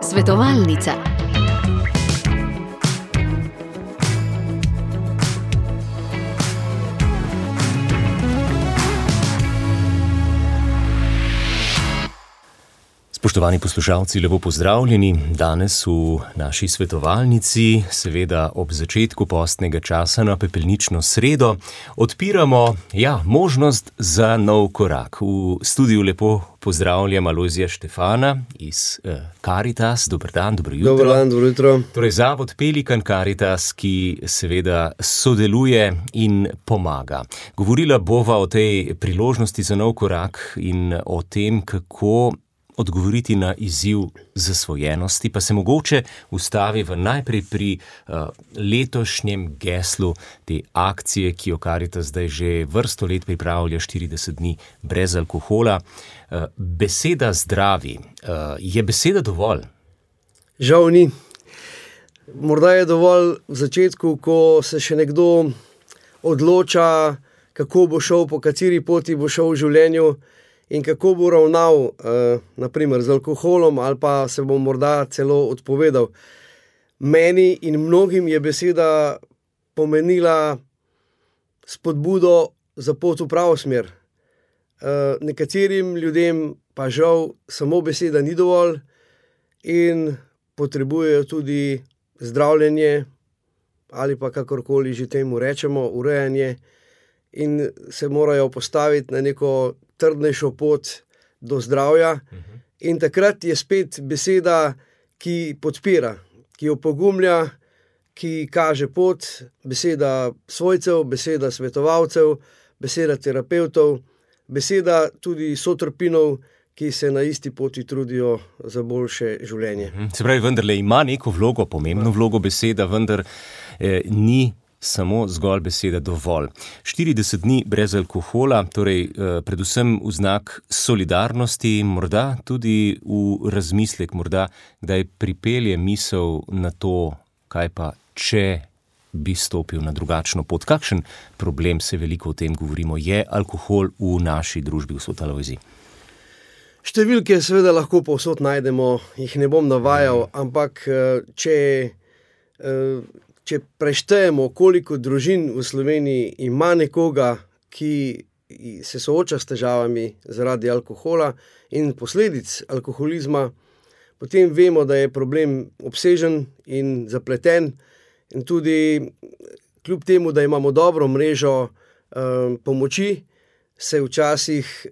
Svetovalnica. Spoštovani poslušalci, lepo pozdravljeni. Danes v naši svetovalnici, seveda ob začetku postnega časa na pepelnično sredo, odpiramo možnost za nov korak. V studiu lepo pozdravljam Alojzija Štefana iz Caritas. Dober dan, dobro jutro. Dober dan, dobro jutro. Torej, Zavod Pelikan Caritas, ki seveda sodeluje in pomaga. Govorila bova o tej priložnosti za nov korak in o tem, kako odgovoriti na izziv zasvojenosti, pa se mogoče ustavi najprej pri letošnjem geslu te akcije, ki jo Caritas zdaj že vrsto let pripravlja, 40 dni brez alkohola. Beseda zdravi. Je beseda dovolj? Žal ni. Morda je dovolj v začetku, ko se še nekdo odloča, kako bo šel, po kateri poti bo šel v življenju, in kako bo ravnal, naprimer z alkoholom, ali pa se bo morda celo odpovedal. Meni in mnogim je beseda pomenila spodbudo za pot v pravo smer. Nekaterim ljudem pa žal samo beseda ni dovolj in potrebujejo tudi zdravljenje, ali pa kakorkoli že temu rečemo, urejanje, in se morajo postaviti na neko trdnejšo pot do zdravja. In takrat je spet beseda, ki podpira, ki opogumlja, ki kaže pot, beseda svojcev, beseda svetovalcev, beseda terapevtov, beseda tudi sotrpinov, ki se na isti poti trudijo za boljše življenje. Se pravi, vendarle ima neko vlogo, pomembno vlogo beseda, vendar ni samo zgolj beseda dovolj. 40 dni brez alkohola, torej predvsem v znak solidarnosti, morda tudi v razmislek, morda kdaj pripelje misel na to, kaj pa, če bi stopil na drugačno pot. Kakšen problem, se veliko o tem govorimo, je alkohol v naši družbi, gospod Alojzij? Številke seveda lahko povsod najdemo, jih ne bom navajal, ampak če preštejemo, koliko družin v Sloveniji ima nekoga, ki se sooča s težavami zaradi alkohola in posledic alkoholizma, potem vemo, da je problem obsežen in zapleten, in tudi kljub temu, da imamo dobro mrežo pomoči, se včasih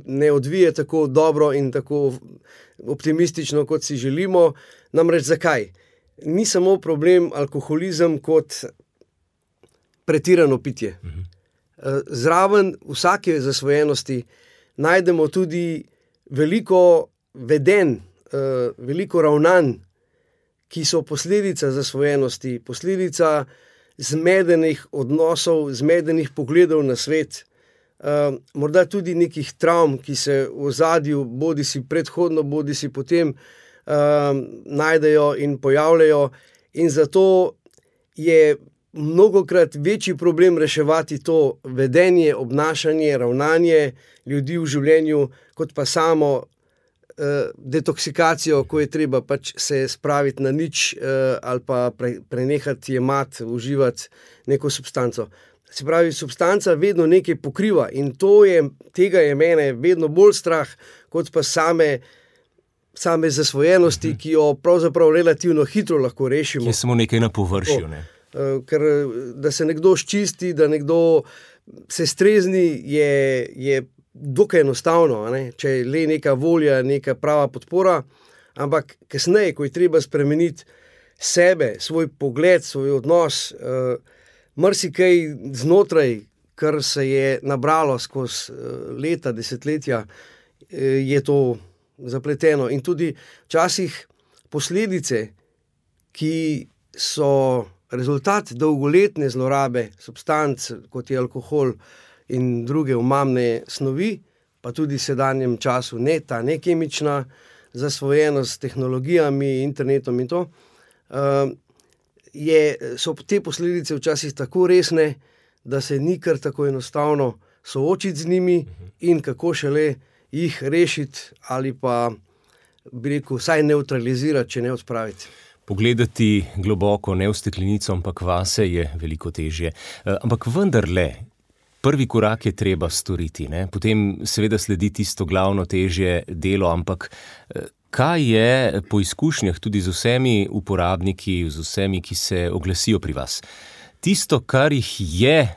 ne odvije tako dobro in tako optimistično, kot si želimo. Namreč zakaj? Ni samo problem alkoholizem kot pretirano pitje. Zraven vsake zasvojenosti najdemo tudi veliko vedenj, veliko ravnanj, ki so posledica zasvojenosti, posledica zmedenih odnosov, zmedenih pogledov na svet, morda tudi nekih travm, ki se v ozadju bodi si predhodno, bodi si potem najdejo in pojavljajo, in zato je mnogokrat večji problem reševati to vedenje, obnašanje, ravnanje ljudi v življenju, kot pa samo detoksikacijo, ko je treba pač se spraviti na nič ali pa prenehati jemati, uživati neko substanco. Se pravi, substanca vedno nekaj pokriva in tega je mene vedno bolj strah, kot pa same zasvojenosti, ki jo pravzaprav relativno hitro lahko rešimo. Je samo nekaj na površju, ne? Ker da se nekdo sčisti, da nekdo se strezni, je dokaj enostavno, ne? Če je le neka volja, neka prava podpora, ampak kasneje, ko je treba spremeniti sebe, svoj pogled, svoj odnos, marsikaj znotraj, kar se je nabralo skozi leta, desetletja, je to zapleteno. In tudi včasih posledice, ki so rezultat dolgoletne zlorabe substanc, kot je alkohol in druge omamne snovi, pa tudi v sedanjem času ta nekemična zasvojenost s tehnologijami, internetom in to, so te posledice včasih tako resne, da se ni kar tako enostavno soočiti z njimi in kako šele jih rešiti ali pa, bi rekel, vsaj neutralizirati, če ne odpraviti. Pogledati globoko, ne v steklenico, ampak vase je veliko težje. Ampak vendarle, prvi korak je treba storiti, ne? Potem seveda sledi tisto glavno težje delo, ampak kaj je po izkušnjah tudi z vsemi uporabniki, z vsemi, ki se oglasijo pri vas? Tisto, kar jih je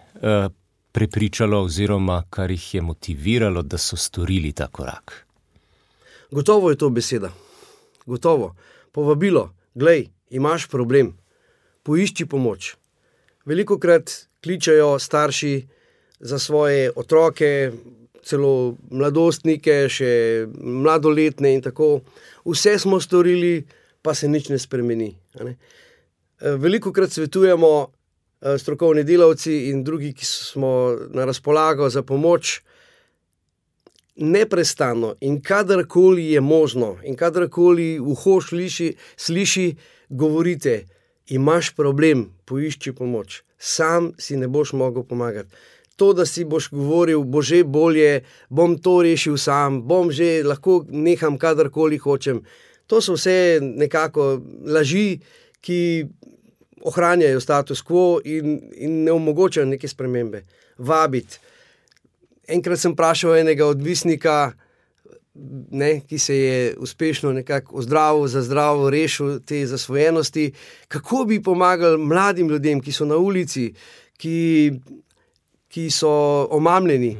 prepričalo oziroma kar jih je motiviralo, da so storili ta korak? Gotovo je to beseda. Gotovo. Povabilo. Glej, imaš problem, poišči pomoč. Velikokrat kličejo starši za svoje otroke, celo mladostnike, še mladoletne in tako. Vse smo storili, pa se nič ne spremeni. Ne? Velikokrat svetujemo strokovni delavci in drugi, ki smo na razpolago za pomoč, neprestano in kadarkoli je možno in kadarkoli uho sliši, govorite, imaš problem, poišči pomoč. Sam si ne boš mogel pomagati. To, da si boš govoril, bo že bolje, bom to rešil sam, bom že lahko neham kadarkoli hočem. To so vse nekako laži, ki ohranjajo status quo in ne omogočajo neke spremembe. Vabiti. Enkrat sem vprašal enega odvisnika, ki se je uspešno nekako ozdravil, za zdravo rešil te zasvojenosti, kako bi pomagali mladim ljudem, ki so na ulici, ki so omamljeni,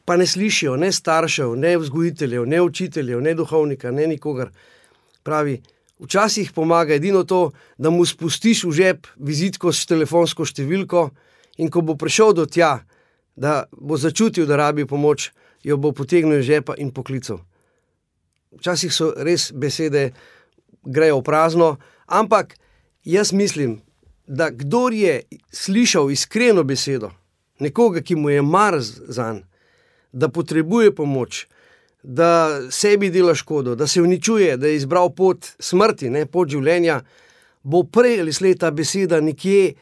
pa ne slišijo ne staršev, ne vzgojiteljev, ne učiteljev, ne duhovnika, ne nikogar. Pravi, včasih pomaga edino to, da mu spustiš v žep vizitko s telefonsko številko in ko bo prišel do tja, da bo začutil, da rabi pomoč, jo bo potegnil iz žepa in poklical. Včasih so res besede grejo v prazno, ampak jaz mislim, da kdor je slišal iskreno besedo, nekoga, ki mu je mar zanj, da potrebuje pomoč, da sebi dela škodo, da se uničuje, da je izbral pot smrti, ne, pot življenja, bo prej ali slej ta beseda nekje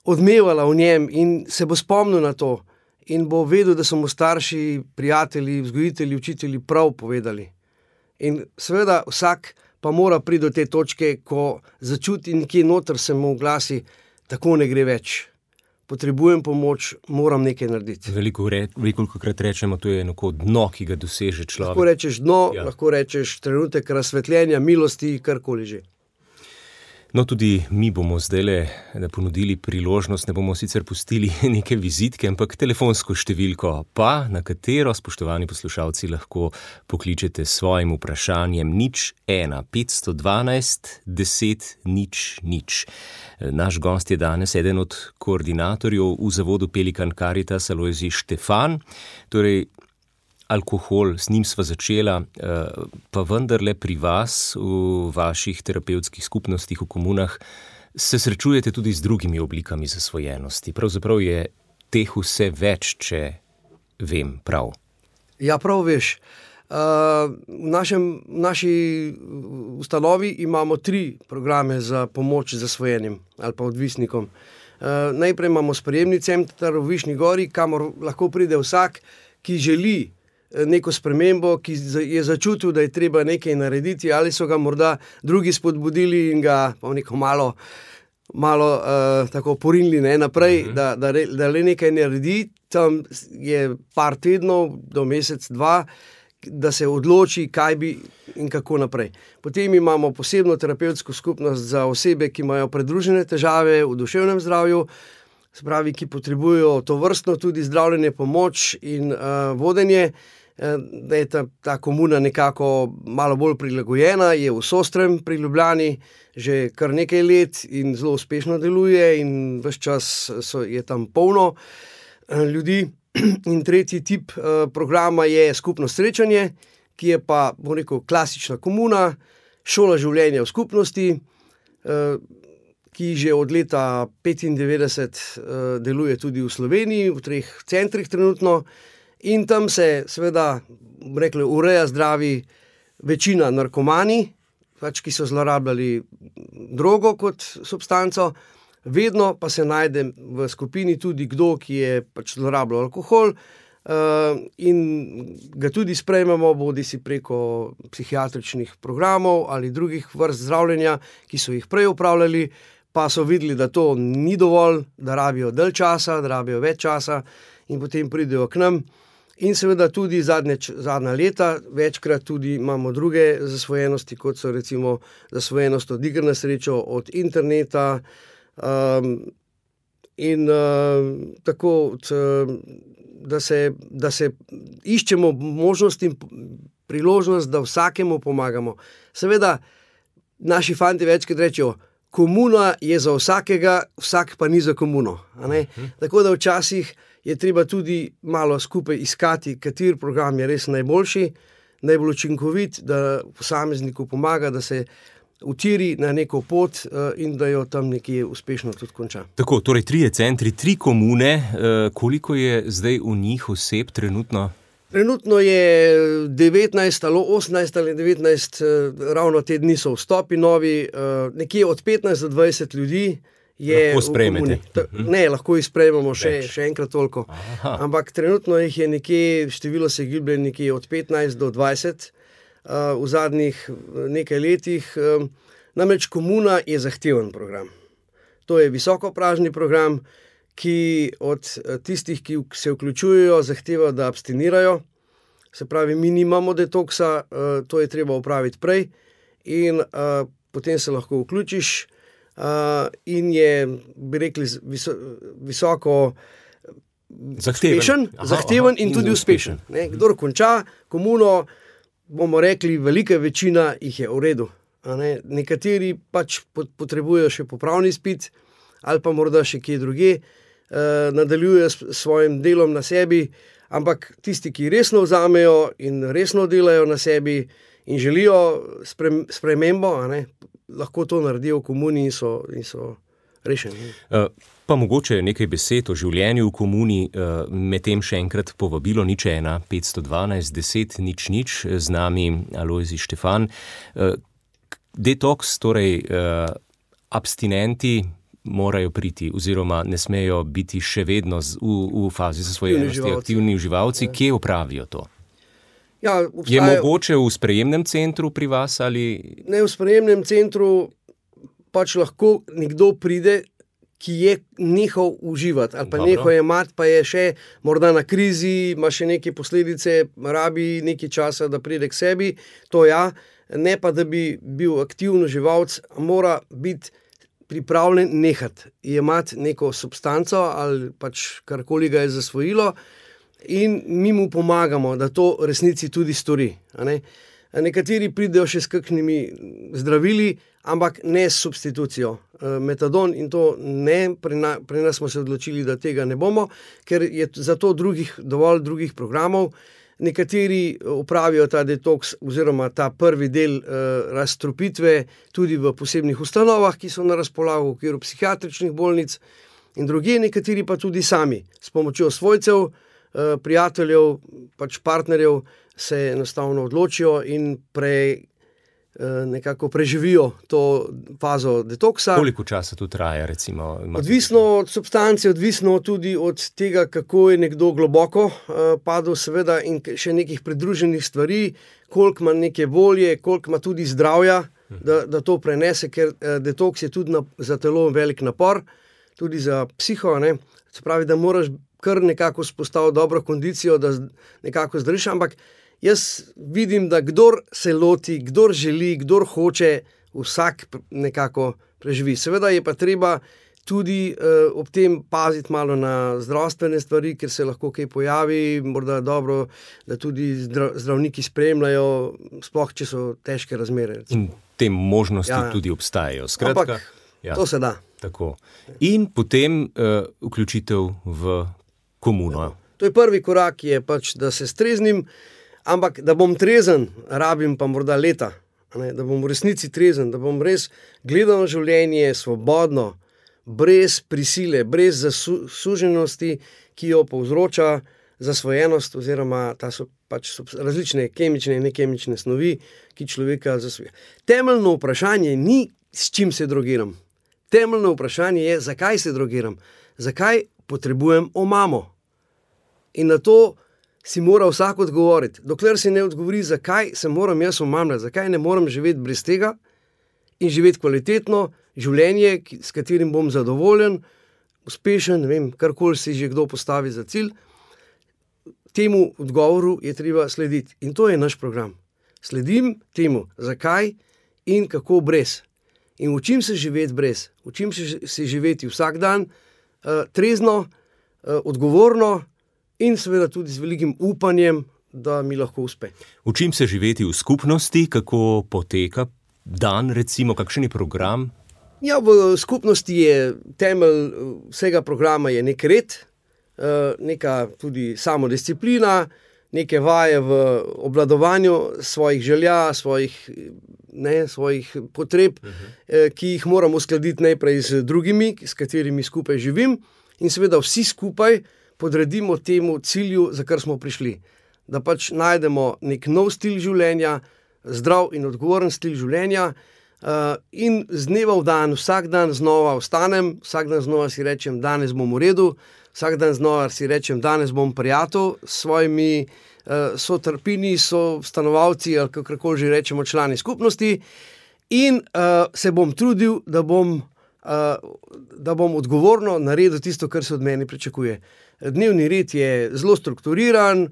odmevala v njem in se bo spomnil na to in bo vedel, da so mu starši, prijatelji, vzgojitelji, učitelji prav povedali. In seveda vsak pa mora priti do te točke, ko začuti nekje noter se mu glasi, tako ne gre več. Potrebujem pomoč, moram nekaj narediti. Velikokrat rečemo, to je neko dno, ki ga doseže človek. Lahko rečeš dno, lahko rečeš trenutek razsvetljenja, milosti, karkoli že. No, tudi mi bomo zdajle ponudili priložnost, ne bomo sicer pustili neke vizitke, ampak telefonsko številko pa, na katero, spoštovani poslušalci, lahko pokličete s svojim vprašanjem 01 512 10 000. Naš gost je danes eden od koordinatorjev v zavodu Pelikan Caritas, Alojzij Štefan. Torej, alkohol, s njim sva začela, pa vendarle pri vas, v vaših terapevtskih skupnostih, v komunah, se srečujete tudi z drugimi oblikami zasvojenosti. Pravzaprav je teh vse več, če vem prav. Ja, prav veš. V naši ustanovi imamo 3 programe za pomoč zasvojenim ali pa odvisnikom. Najprej imamo sprejemni center v Višnji Gori, kamor lahko pride vsak, ki želi neko spremembo, ki je začutil, da je treba nekaj narediti, ali so ga morda drugi spodbudili in ga neko malo tako porinili naprej, da le nekaj naredi. Tam je par tednov do mesec, 2, da se odloči, kaj bi in kako naprej. Potem imamo posebno terapevtsko skupnost za osebe, ki imajo pridružene težave v duševnem zdravju, se pravi, ki potrebujejo tovrstno tudi zdravljenje, pomoč in vodenje, da je ta komuna nekako malo bolj prilagojena, je v Sostrem pri Ljubljani že kar nekaj let in zelo uspešno deluje in ves čas je tam polno ljudi. In tretji tip programa je skupno srečanje, ki je pa, bom rekel, klasična komuna, šola življenja v skupnosti, ki že od leta 1995 deluje tudi v Sloveniji, v 3 centrih trenutno. In tam se seveda, ureja zdravi večina narkomani, ki so zlorabljali drogo kot substanco, vedno pa se najde v skupini tudi kdo, ki je zlorabljal alkohol, in ga tudi sprejmemo, bodi si preko psihiatričnih programov ali drugih vrst zdravljenja, ki so jih prej upravljali, pa so videli, da to ni dovolj, da rabijo dalj časa, da rabijo več časa in potem pridejo k nam. In seveda tudi zadnja leta, večkrat tudi imamo druge zasvojenosti, kot so recimo zasvojenost od iger na srečo, od interneta, in tako, da se iščemo možnost in priložnost, da vsakemu pomagamo. Seveda, naši fanti večkrat rečejo, komuna je za vsakega, vsak pa ni za komuno. A ne? Tako da včasih je treba tudi malo skupaj iskati, kateri program je res najboljši, najbolj učinkovit, da posamezniku pomaga, da se utiri na neko pot in da jo tam nekje uspešno tudi konča. Tako, torej 3 centri, 3 komune. Koliko je zdaj v njih oseb trenutno? Trenutno je 19 ali 18 ali 19, ravno te dni so vstopi novi, nekje od 15 do 20 ljudi je lahko sprejmete. Ne, lahko jih sprejmemo še enkrat toliko. Aha. Ampak trenutno jih je nekje, število se giblje nekje od 15 do 20 v zadnjih nekaj letih. Namreč komuna je zahteven program. To je visokopražni program, ki od tistih, ki se vključujejo, zahteva, da abstinirajo. Se pravi, mi nimamo detoksa, to je treba upraviti prej in potem se lahko vključiš in je, bi rekli, visoko zahteven in tudi uspešen. Kdor konča komuno, bomo rekli, velika večina jih je v redu. Nekateri pač potrebujejo še popravni izpit ali pa morda še kje drugje, nadaljujejo s svojim delom na sebi, ampak tisti, ki resno vzamejo in resno delajo na sebi in želijo spremembo, lahko to naredijo v komuni in so rešeni. Pa mogoče nekaj besed o življenju v komuni, medtem še enkrat povabilo 01 512 10 000, z nami Alojzij Štefan. Detoks, torej abstinenti morajo priti oziroma ne smejo biti še vedno v fazi zasvojenosti, aktivni uživalci. Kje opravijo to? Ja, je mogoče v sprejemnem centru pri vas ali? Ne, v sprejemnem centru pač lahko nekdo pride, ki je nehal uživati ali pa nehal jemati, pa je še morda na krizi, ima še neke posledice, rabi nekaj časa, da pride k sebi, to ja, ne pa da bi bil aktivni uživalec, mora biti pripravljen nehati, jemati neko substanco ali pač karkoli ga je zasvojilo in mi mu pomagamo, da to resnici tudi stori. Nekateri pridejo še s kakšnimi zdravili, ampak ne s substitucijo. Metadon in to ne, pri nas smo se odločili, da tega ne bomo, ker je za to dovolj drugih programov. Nekateri opravijo ta detoks oziroma ta prvi del razstrupitve tudi v posebnih ustanovah, ki so na razpolago v okviru psihiatričnih bolnic in drugje, nekateri pa tudi sami, s pomočjo svojcev, prijateljev, pač partnerjev se enostavno odločijo in nekako preživijo to fazo detoksa. Koliko časa tu traja, recimo? Odvisno od substance, odvisno tudi od tega, kako je nekdo globoko padel, seveda, in še nekih pridruženih stvari, koliko ima neke volje, koliko ima tudi zdravja, da to prenese, ker detoks je tudi za telo velik napor, tudi za psiho, ne? Se pravi, da moraš kar nekako spostaviti dobro kondicijo, da nekako zdržiš, ampak jaz vidim, da kdor se loti, kdor želi, kdor hoče, vsak nekako preživi. Seveda je pa treba tudi ob tem paziti malo na zdravstvene stvari, ker se lahko kaj pojavi, morda dobro, da tudi zdravniki spremljajo, sploh če so težke razmere. In te možnosti tudi obstajajo. Skratka, ampak to se da. Tako. In potem vključitev v komuno. To je prvi korak, je pač, da se streznim, ampak da bom trezen, rabim pa morda leta, da bom v resnici trezen, da bom res gledal na življenje svobodno, brez prisile, brez zasuženosti, ki jo povzroča zasvojenost oziroma ta so pač različne kemične in nekemične snovi, ki človeka zasvoja. Temeljno vprašanje ni, s čim se drogiram. Temeljno vprašanje je, zakaj se drogiram, zakaj potrebujem omamo. In na to si mora vsak odgovoriti. Dokler si ne odgovori, zakaj se moram jaz omamljati, zakaj ne morem živeti brez tega in živeti kvalitetno življenje, s katerim bom zadovoljen, uspešen, ne vem, karkoli si že kdo postavi za cilj, temu odgovoru je treba slediti. In to je naš program. Sledim temu, zakaj in kako brez. In učim se živeti brez. Učim se živeti vsak dan, trezno, odgovorno in seveda tudi z velikim upanjem, da mi lahko uspe. Učim se živeti v skupnosti, kako poteka dan, recimo, kakšen je program? Ja, v skupnosti je temelj vsega programa je nek red, neka tudi samodisciplina, neke vaje v obvladovanju svojih želja, svojih potreb, ki jih moram uskladiti najprej z drugimi, s katerimi skupaj živim, in seveda vsi skupaj podredimo temu cilju, za kar smo prišli. Da pač najdemo nek nov stil življenja, zdrav in odgovoren stil življenja, in z dneva v dan, vsak dan znova vstanem, vsak dan znova si rečem, danes bom v redu, vsak dan znova si rečem, danes bom prijatelj s svojimi sotrpini, stanovalci ali kakorkoli že rečemo člani skupnosti, in se bom trudil, da bom odgovorno naredil tisto, kar se od mene pričakuje. Dnevni red je zelo strukturiran,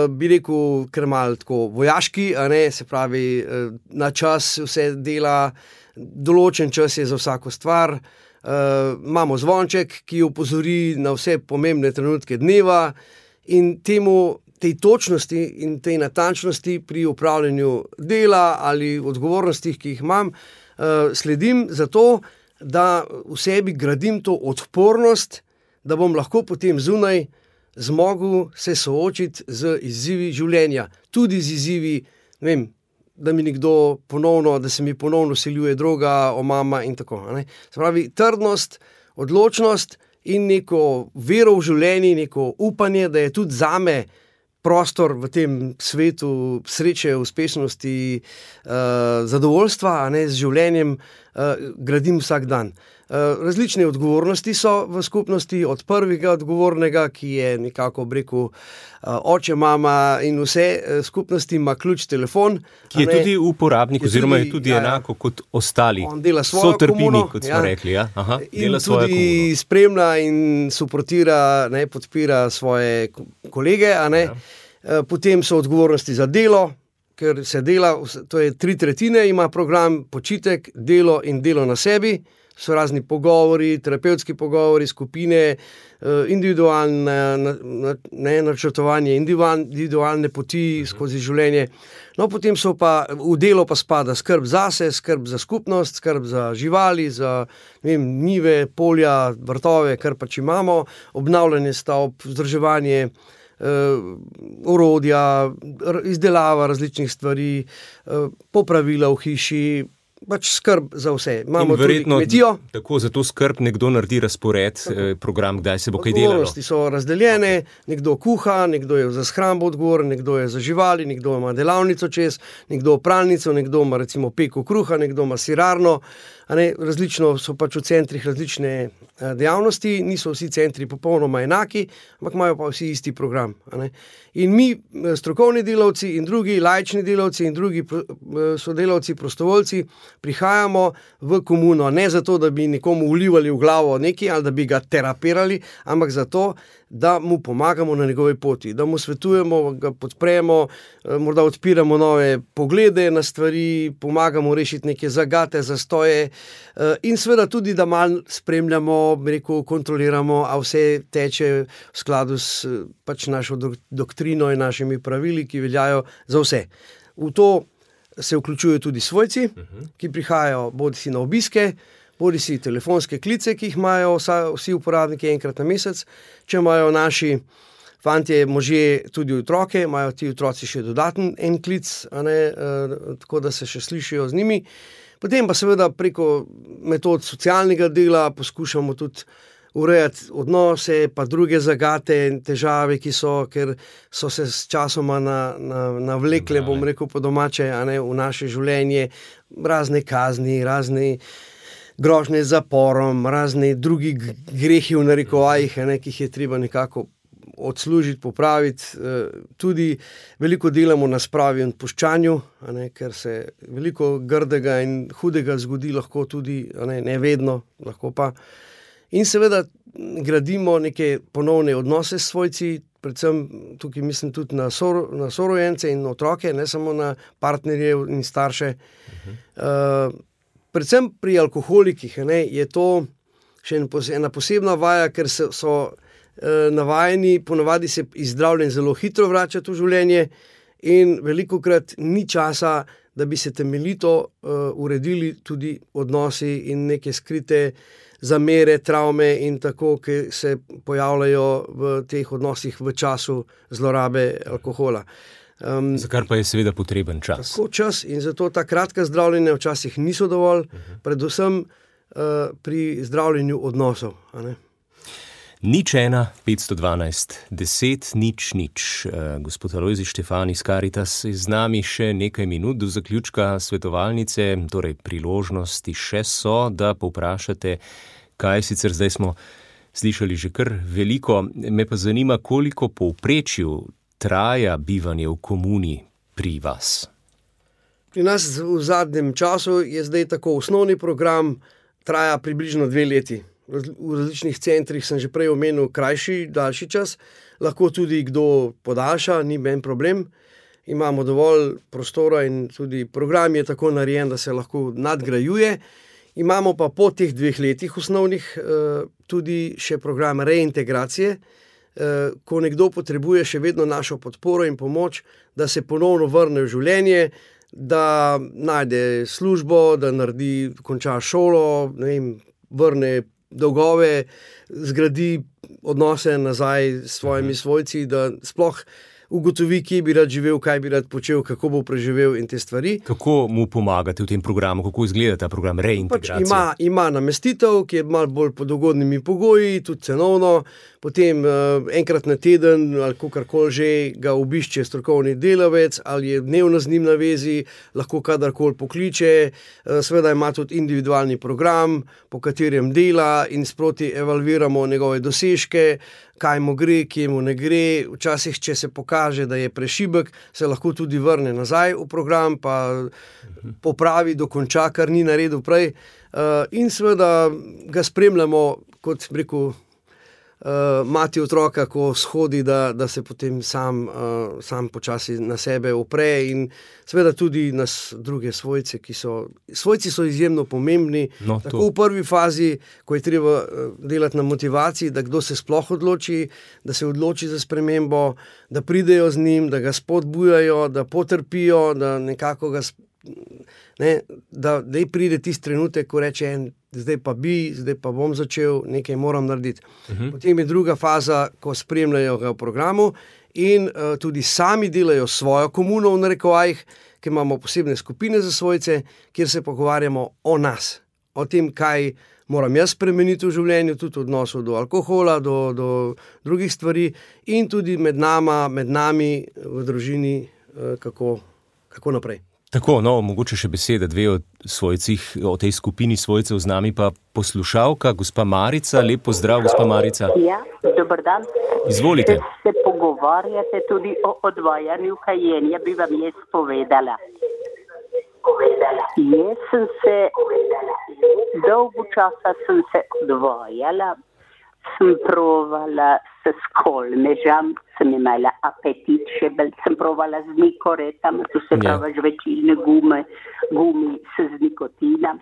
bi rekel, ker malo tako vojaški, a ne, se pravi, na čas vse dela, določen čas je za vsako stvar, imamo zvonček, ki opozori na vse pomembne trenutke dneva, in tej točnosti in tej natančnosti pri upravljanju dela ali odgovornostih, ki jih imam, sledim zato, da v sebi gradim to odpornost, da bom lahko potem zunaj zmogel se soočiti z izzivi življenja. Tudi z izzivi, ne vem, da se mi ponovno vsiljuje droga, omama in tako. Ne? Se pravi, trdnost, odločnost in neko vero v življenje, neko upanje, da je tudi zame prostor v tem svetu sreče, uspešnosti, zadovoljstva, a ne, z življenjem, gradim vsak dan. Različne odgovornosti so v skupnosti, od prvega odgovornega, ki je nekako, rekel, oče, mama in vse skupnosti, ima ključ telefon. Ki je tudi uporabnik, oziroma je tudi enako kot ostali. On dela svojo komuno, kot smo rekli. Ja? Aha, in tudi spremlja in suportira, ne, podpira svoje kolege. A ne. Ja. Potem so odgovornosti za delo, ker se dela, to je 3/3 ima program, počitek, delo in delo na sebi. So razni pogovori, terapevtski pogovori, skupine, individualne načrtovanje, individualne poti skozi življenje. No, potem so pa v delo pa spada skrb zase, skrb za skupnost, skrb za živali, za, ne vem, njive, polja, vrtove, kar pač imamo, obnavljanje stavb, vzdrževanje, orodja, izdelava različnih stvari, popravila v hiši, pač skrb za vse. Imamo tudi kmetijo. Tako za to skrb nekdo naredi razpored, program, kdaj se bo kaj delalo. Odgovornosti so razdeljene, nekdo kuha, nekdo je za shrambo odgovoren, nekdo je za živali, nekdo ima delavnico čez, nekdo pralnico, nekdo ima recimo peko kruha, nekdo ima sirarno. Različno so pač v centrih različne dejavnosti, niso vsi centri popolnoma enaki, ampak imajo pa vsi isti program. In mi, strokovni delavci in drugi laični delavci in drugi sodelavci, prostovoljci, prihajamo v komuno, ne zato, da bi nekomu vlivali v glavo nekaj ali da bi ga terapirali, ampak zato, da mu pomagamo na njegovi poti, da mu svetujemo, ga podpremo, morda odpiramo nove poglede na stvari, pomagamo rešiti neke zagate, zastoje, in seveda tudi, da malo spremljamo, kontroliramo, a vse teče v skladu s pač našo doktrino in našimi pravili, ki veljajo za vse. V to se vključujejo tudi svojci, ki prihajajo bodisi na obiske, bodisi telefonske klice, ki jih imajo vsi uporabniki enkrat na mesec. Če imajo naši fantje, možje tudi otroke, imajo ti otroci še dodaten en klic, tako da se še slišijo z njimi. Potem pa seveda preko metod socialnega dela poskušamo tudi urejati odnose, pa druge zagate in težave, ki so, ker so se s časoma navlekle, bom rekel po domače, v naše življenje, razne kazni, razne grožnje z zaporom, razni drugi grehi v narekovajih, ki jih je treba nekako odslužiti, popraviti. Tudi veliko delamo na spravi in puščanju, ker se veliko grdega in hudega zgodi, lahko tudi, ne vedno, lahko pa. In seveda gradimo neke ponovne odnose s svojci, predvsem tukaj mislim tudi na sorojence in otroke, ne samo na partnerje in starše. Predvsem pri alkoholikih je to še ena posebna vaja, ker so navajeni, ponavadi se iz zdravljenja zelo hitro vračati v življenje in velikokrat ni časa, da bi se temeljito uredili tudi odnosi in neke skrite zamere, travme in tako, ki se pojavljajo v teh odnosih v času zlorabe alkohola. Za kar pa je seveda potreben čas. Tako čas in zato ta kratka zdravljenja včasih niso dovolj, predvsem pri zdravljenju odnosov. 01 512 10 00. Gospod Alojzij Štefan iz Karitas je z nami še nekaj minut do zaključka svetovalnice, torej priložnosti še so, da povprašate, kaj sicer zdaj smo slišali že kar veliko. Me pa zanima, koliko povprečju traja bivanje v komuni pri vas? Pri nas v zadnjem času je zdaj tako osnovni program, traja približno 2 leti. V različnih centrih sem že prej omenil krajši, daljši čas, lahko tudi kdo podaljša, ni ben problem. Imamo dovolj prostora in tudi program je tako narejen, da se lahko nadgrajuje. Imamo pa po teh 2 letih osnovnih tudi še program reintegracije, ko nekdo potrebuje še vedno našo podporo in pomoč, da se ponovno vrne v življenje, da najde službo, da konča šolo, vrne dolgove, zgradi odnose nazaj s svojimi svojci, da sploh ugotovi, kje bi rad živel, kaj bi rad počel, kako bo preživel in te stvari. Kako mu pomagate v tem programu? Kako izgleda ta program reintegracije? Ima namestitev, ki je malo bolj pod ugodnimi pogoji, tudi cenovno. Potem enkrat na teden ali kakorkoli že ga obišče strokovni delavec ali je dnevno z njim na vezi, lahko kadarkoli pokliče. Seveda ima tudi individualni program, po katerem dela in sproti evalviramo njegove dosežke, kaj mu gre, kje mu ne gre. Včasih, če se pokaže, da je prešibek, se lahko tudi vrne nazaj v program, pa popravi, dokonča, kar ni naredil prej. In seveda ga spremljamo, kot rekel, mati otroka, ko shodi, da se potem sam počasi na sebe opre in seveda tudi nas druge svojce, svojci so izjemno pomembni, tako v prvi fazi, ko je treba delati na motivaciji, da kdo se sploh odloči, da se odloči za spremembo, da pridejo z njim, da ga spodbujajo, da potrpijo, da nekako ga da pride tisti trenutek, ko reče zdaj pa bom začel, nekaj moram narediti. Potem je druga faza, ko spremljajo ga v programu in tudi sami delajo svojo komuno v narekovajih, ker imamo posebne skupine za svojce, kjer se pogovarjamo o nas, o tem, kaj moram jaz spremeniti v življenju, tudi v odnosu do alkohola, do drugih stvari in tudi med nami v družini, kako naprej. Tako, mogoče še besede, 2 o svojcih, o tej skupini svojcev z nami pa poslušalka, gospa Marica. Lep pozdrav, gospa Marica. Ja, dober dan. Izvolite. Če se pogovarjate tudi o odvajanju kajenja, bi vam jaz povedala. Jaz sem se, dolgo časa sem se odvajala, sem provala s skolmežam, sem imela apetit še bolj, sem provala z nikoretam, to se pravi žvečilne gumi s nikotinom.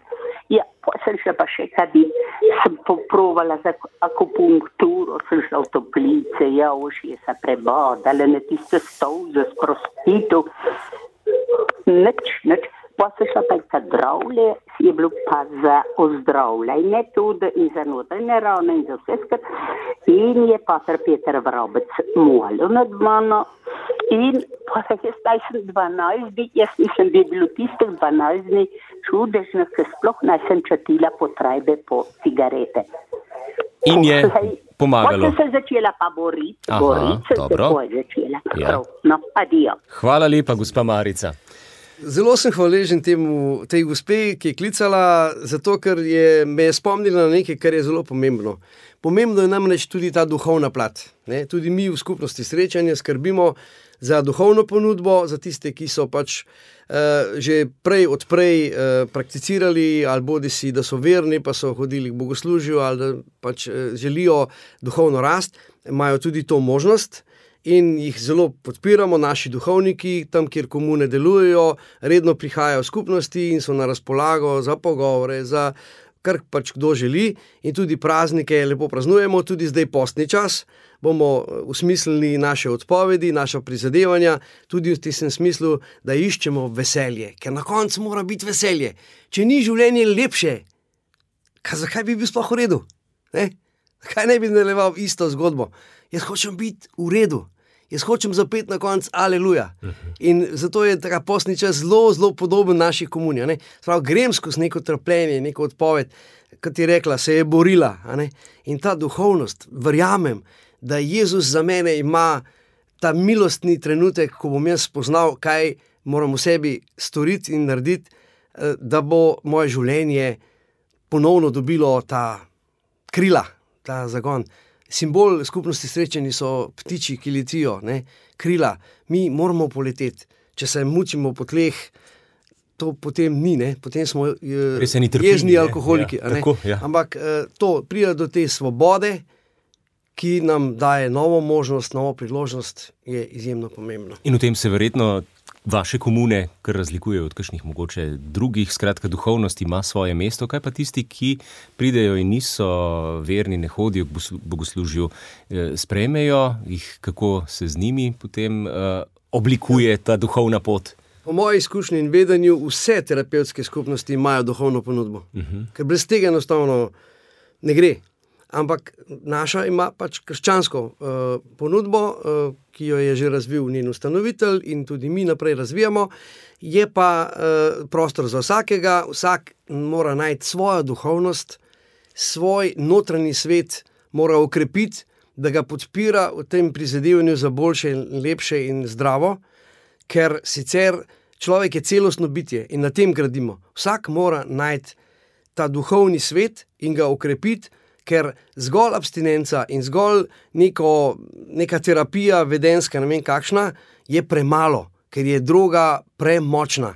Ja, sem šla pa še kadit, sem poprovala za akupunkturo, sem šla v toplice, už je se prebodala na tiste stolze s prostitu. Nič. Pa se šla pa ta zdravlje, je bilo pa za ozdravljanje tudi in za notranje ravne in za vse skrat. In je pater Peter Vrobec molil nad mano in pa se jaz sem 12 dni, jaz mislim, da je bilo tistih 12 dni čudežno, ker sploh nisem čutila potrebe po cigarete. In je pomagalo. Potem sem začela pa boriti se tako je začela. Ja. Adijo. Hvala lepa, gospa Marica. Zelo sem hvaležen tej gospe, ki je klicala, zato ker me je spomnila na nekaj, kar je zelo pomembno. Pomembno je namreč tudi ta duhovna plat. Ne? Tudi mi v skupnosti Srečanje skrbimo za duhovno ponudbo, za tiste, ki so pač že odprej prakticirali, ali bodisi, da so verni, pa so hodili k bogoslužju, ali da pač želijo duhovno rast, imajo tudi to možnost. In jih zelo podpiramo, naši duhovniki, tam, kjer komune delujejo, redno prihajajo v skupnosti in so na razpolago za pogovore, za kar pač kdo želi. In tudi praznike lepo praznujemo, tudi zdaj postni čas. Bomo usmislili naše odpovedi, naša prizadevanja, tudi v tem smislu, da iščemo veselje. Ker na koncu mora biti veselje. Če ni življenje lepše, zakaj bi bil sploh v redu? Zakaj ne bi nadaljeval isto zgodbo? Jaz hočem biti v redu. Jaz hočem zapeti na koncu aleluja. In zato je taka postni čas zelo, zelo podoben naši komuni. Grem skozi neko trpljenje, neko odpoved, kot je rekla, se je borila. In ta duhovnost, verjamem, da Jezus za mene ima ta milostni trenutek, ko bom jaz spoznal, kaj moram v sebi storiti in narediti, da bo moje življenje ponovno dobilo ta krila, ta zagon. Simbol skupnosti Srečanje so ptiči, ki letijo, krila. Mi moramo poleteti. Če se mučimo po tleh, to potem ni, potem smo jezni alkoholiki. Tako, ja. Ampak to pride do te svobode, ki nam daje novo možnost, novo priložnost, je izjemno pomembno. In v tem se verjetno vaše komune kar razlikujejo od kakšnih mogoče drugih, skratka duhovnost ima svoje mesto. Kaj pa tisti, ki pridejo in niso verni, ne hodijo k bogoslužju, sprejmejo jih, kako se z njimi potem oblikuje ta duhovna pot? Po moji izkušnji in vedenju vse terapevtske skupnosti imajo duhovno ponudbo, ker brez tega enostavno ne gre. Ampak naša ima pač krščansko ponudbo, ki jo je že razvil njen ustanovitelj in tudi mi naprej razvijamo. Je pa prostor za vsakega, vsak mora najti svojo duhovnost, svoj notranji svet mora okrepiti, da ga podpira v tem prizadevanju za boljše, lepše in zdravo, ker sicer človek je celostno bitje in na tem gradimo. Vsak mora najti ta duhovni svet in ga okrepiti, ker zgolj abstinenca in zgolj neka terapija vedenska, ne vem kakšna, je premalo, ker je droga premočna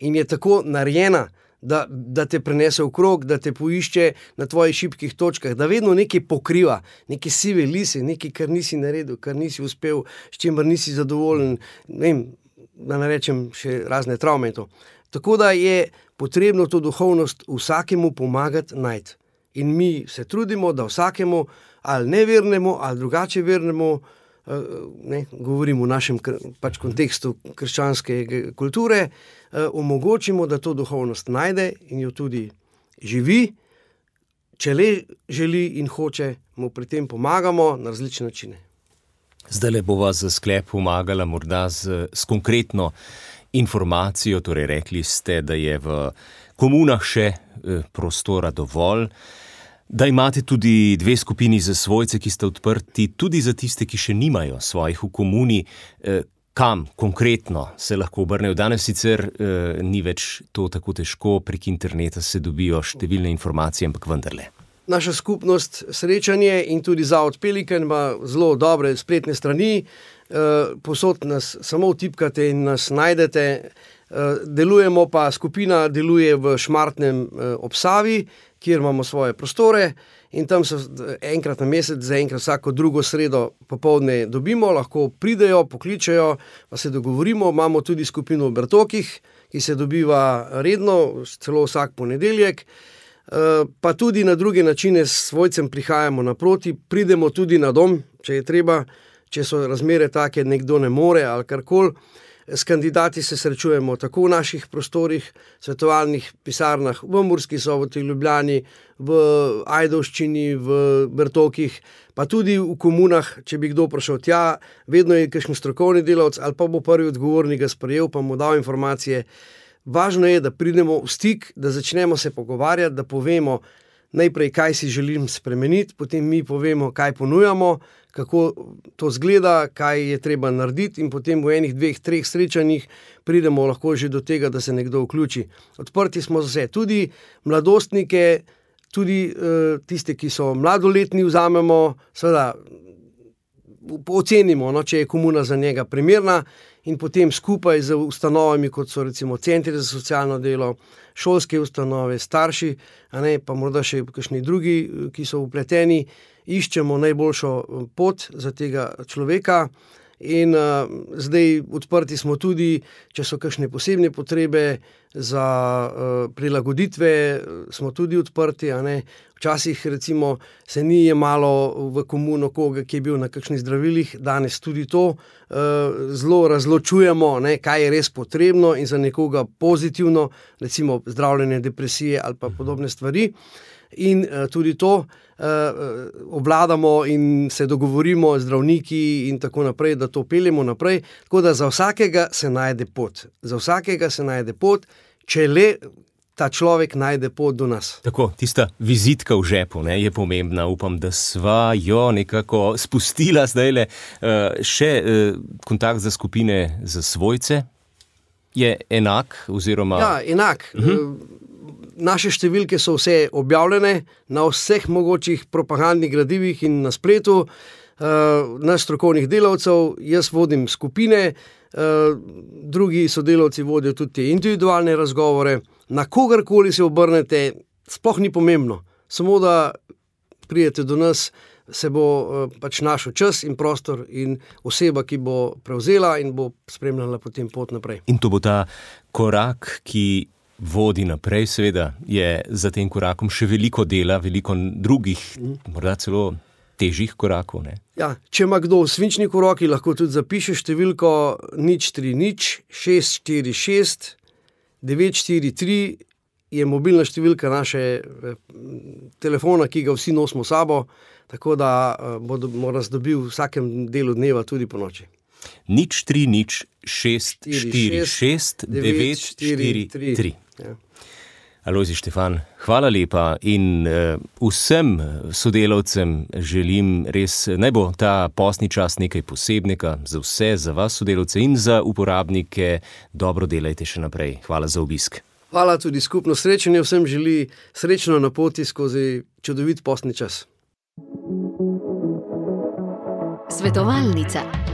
in je tako narejena, da te prenese v krog, da te poišče na tvojih šibkih točkah, da vedno nekaj pokriva, neke sive lise, nekaj, kar nisi naredil, kar nisi uspel, s čimer nisi zadovoljen, ne vem, da ne rečem še razne travme. Tako da je potrebno to duhovnost vsakemu pomagati najti. In mi se trudimo, da vsakemu, ali nevernemu, ali drugače vernemu, govorimo v našem pač kontekstu krščanske kulture, omogočimo, da to duhovnost najde in jo tudi živi. Če le želi in hoče, mu pri tem pomagamo na različne načine. Zdajle bova za sklep pomagala morda s konkretno informacijo, torej rekli ste, da je v komunah še prostora dovolj, da imate tudi 2 skupini za svojce, ki sta odprti, tudi za tiste, ki še nimajo svojih v komuni. Kam konkretno se lahko obrnejo? Danes sicer ni več to tako težko, prek interneta se dobijo številne informacije, ampak vendarle. Naša skupnost Srečanje in tudi Zavod Pelikan ima zelo dobre spletne strani. Posod nas samo vtipkate in nas najdete. Delujemo pa, skupina deluje v Šmartnem ob Savi, kjer imamo svoje prostore in tam se enkrat na mesec, zaenkrat vsako drugo sredo popoldne dobimo, lahko pridejo, pokličejo, pa se dogovorimo. Imamo tudi skupino v Bertokih, ki se dobiva redno, celo vsak ponedeljek. Pa tudi na druge načine s svojcem prihajamo naproti, pridemo tudi na dom, če je treba, če so razmere take, nekdo ne more ali karkoli. S kandidati se srečujemo tako v naših prostorih, svetovalnih pisarnah v Murski Soboti, Ljubljani, v Ajdovščini, v Bertokih, pa tudi v komunah, če bi kdo prišel tja, vedno je kakšen strokovni delavec ali pa bo prvi odgovorni ga sprejel, pa mu dal informacije. Važno je, da pridemo v stik, da začnemo se pogovarjati, da povemo, najprej, kaj si želim spremeniti, potem mi povemo, kaj ponujamo, kako to zgleda, kaj je treba narediti in potem v 1, 2, 3 srečanjih pridemo lahko že do tega, da se nekdo vključi. Odprti smo za vse, tudi mladostnike, tudi tiste, ki so mladoletni, vzamemo, seveda ocenimo, če je komuna za njega primerna in potem skupaj z ustanovami, kot so recimo centri za socialno delo, šolske ustanove, starši, pa morda še kakšni drugi, ki so vpleteni, iščemo najboljšo pot za tega človeka. In zdaj odprti smo tudi, če so kakšne posebne potrebe za prilagoditve, smo tudi odprti. Včasih recimo se ni jemalo v komuno koga, ki je bil na kakšnih zdravilih, danes tudi to zelo razločujemo, kaj je res potrebno in za nekoga pozitivno, recimo zdravljenje depresije ali pa podobne stvari. In tudi to obvladamo in se dogovorimo z zdravniki in tako naprej, da to peljemo naprej. Tako da za vsakega se najde pot. Za vsakega se najde pot, če le ta človek najde pot do nas. Tako, tista vizitka v žepu je pomembna. Upam, da sva jo nekako spustila zdajle. Še kontakt za skupine za svojce je enak oziroma... Ja, enak. Naše številke so vse objavljene na vseh mogočih propagandnih gradivih in na spletu. Naš strokovnih delavcev, jaz vodim skupine, drugi sodelavci vodijo tudi te individualne razgovore. Na kogarkoli se obrnete, sploh ni pomembno. Samo da pridete do nas, se bo pač našel čas in prostor in oseba, ki bo prevzela in bo spremljala potem pot naprej. In to bo ta korak, ki vodi naprej, seveda je za tem korakom še veliko dela, veliko drugih, morda celo težjih korakov. Ja, če ima kdo v svinčni roki, lahko tudi zapiše številko 030 646 943, je mobilna številka naše telefona, ki ga vsi nosimo s sabo, tako da bo nas dobil v vsakem delu dneva tudi po noči. 030 646 943. Ja. Alojzij Štefan, hvala lepa in vsem sodelavcem želim res, naj bo ta postni čas nekaj posebnega za vse, za vas sodelavce in za uporabnike. Dobro delajte še naprej. Hvala za obisk. Hvala, tudi skupno srečanje vsem želi srečno na poti skozi čudovit postni čas. Svetovalnica.